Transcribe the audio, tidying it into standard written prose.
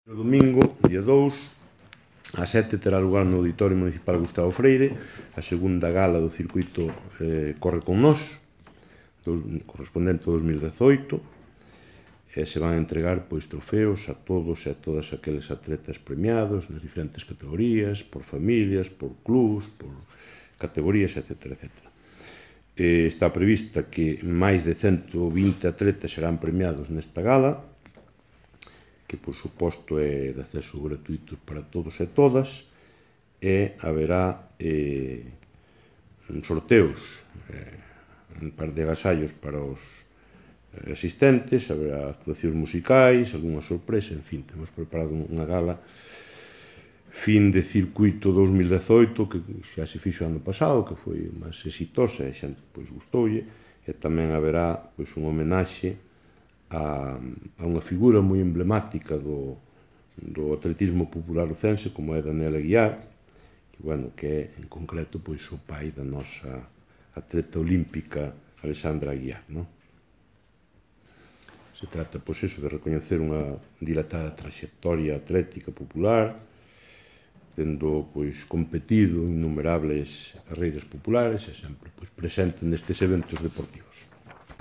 O domingo, día 2, ás 7 terá lugar no Auditorio Municipal Gustavo Freire a segunda gala do circuito Corre con Nós, correspondente ao 2018, e se van a entregar trofeos a todos e a todas aqueles atletas premiados nas diferentes categorías, por familias, por clubs, por categorías, etc. Está prevista que máis de 120 atletas serán premiados nesta gala, que por suposto é de acceso gratuito para todos e todas, e haberá sorteos, un par de agasallos para os asistentes, haberá actuacións musicais, algunha sorpresa, en fin, temos preparado unha gala fin de circuito 2018 que xa se fixo ano pasado, que foi máis exitosa e a xente gustoulle, e tamén haberá unha homenaxe a unha figura moi emblemática do atletismo popular ocense, como é Daniel Aguiar, que é, en concreto, o pai da nosa atleta olímpica Alexandra Aguiar. Se trata, de recoñecer unha dilatada traxectoria atlética popular, tendo competido en innumerables carreiras populares e sempre presente nestes eventos deportivos.